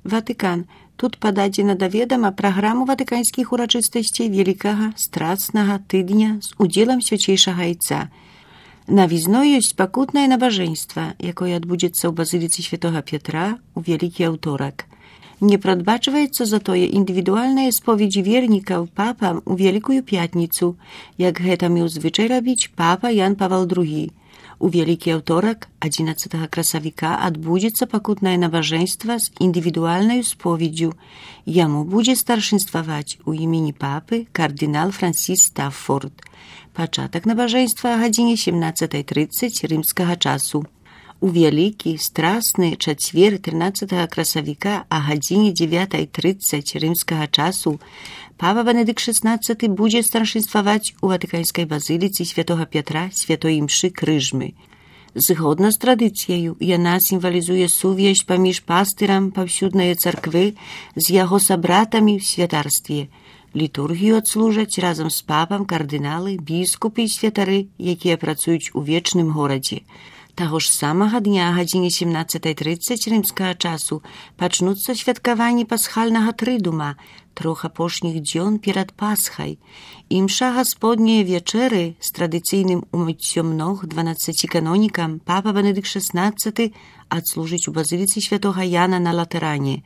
Ватыкан. Тут пададзена да ведама праграму ватыканскіх урачыстасцей вялікага страцнага тыдня з удзелам свячэйшага айца. Навізной ёсць пакутнае набажэнства, якое адбудзецца ў базыліцы святога Петра ў вялікі аўторак. Не прадбачваецца затое індывідуальныя споведзі вернікаў папам у Вялікую пятніцу, як гэта меў звычай рабіць папа Ян Павел II. У вялікі аўторак, 11 красавіка, адбудзецца пакутнае набажэнства з індывідуальнаю споведдзю. Яму будзе старшынстваваць у імені папы кардынал Франсіс Стаффорд. Пачатак набажэнства о гадзіне 17:30 рымскага часу. У вялікі, страсны чацвер 13 красавіка о гадзіне 9:30 рымскага часу папа Бенедыкт XVI будзе старшынстваваць у ватыканскай базыліцы святога Петра святой імшы крыжмы. Згодна з традыцыяю, яна сімвалізуе сувязь паміж пастырам паўсюднай царквы з яго сабратамі ў святарстве. Літургію адслужаць разам з папам кардыналы, біскупы і святары, якія працуюць у вечным горадзе. Таго ж самага дня о гадзіне 17:30 рымскага часу пачнуцца святкаванні пасхальнага трыдума, 3 апошніх дзён перад Пасхай. Імша гасподняе вечэры з традыцыйным умыццём ног 12 канонікам папа Бенедыкт XVI адслужыць у базыліцы святога Яна на Латэране.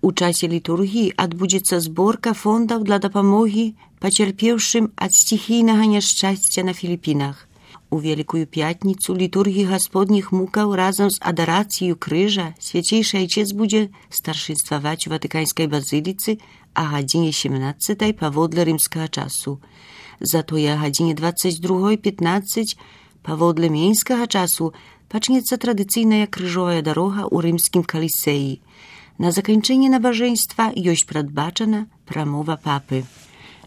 У часе літургіі адбудзецца зборка фондаў для дапамогі пацярпеўшым ад стихійнага няшчасця на Філіпінах. У Вялікую пятніцу літургіі гасподніх мукаў разам з адарацыяй крыжа свяцейшы айчэц будзе старшынстваваць у ватыканскай базыліцы о гадзіне 17 паводле рымскага часу. Затое о гадзіне 22:15 паводле менскага часу пачнецца традыцыйная крыжовая дарога ў рымскім калісеі. На заканчэнне набажэнства ёсць прадбачана прамова папы.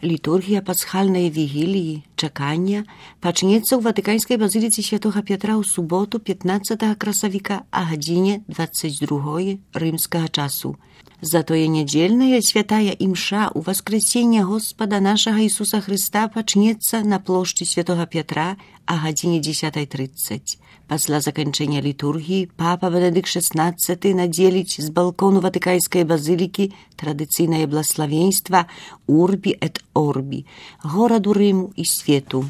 Літургія пасхальнай вігіліі, чакання, пачнецца ў ватыканскай базыліцы святога Петра ў суботу 15 красавіка о гадзіне 22 рымскага часу. Затое нядзельная святая імша ў васкрэсенне Господа нашага Ісуса Хрыста пачнецца на плошчы святога Петра о гадзіне 10:30. Пасля заканчэння літургіі папа Бенедыкт XVI надзеліць з балкону ватыканскай базылікі традыцыйнае блаславенства «Урбі эт Орбі» гораду Рыму і свету.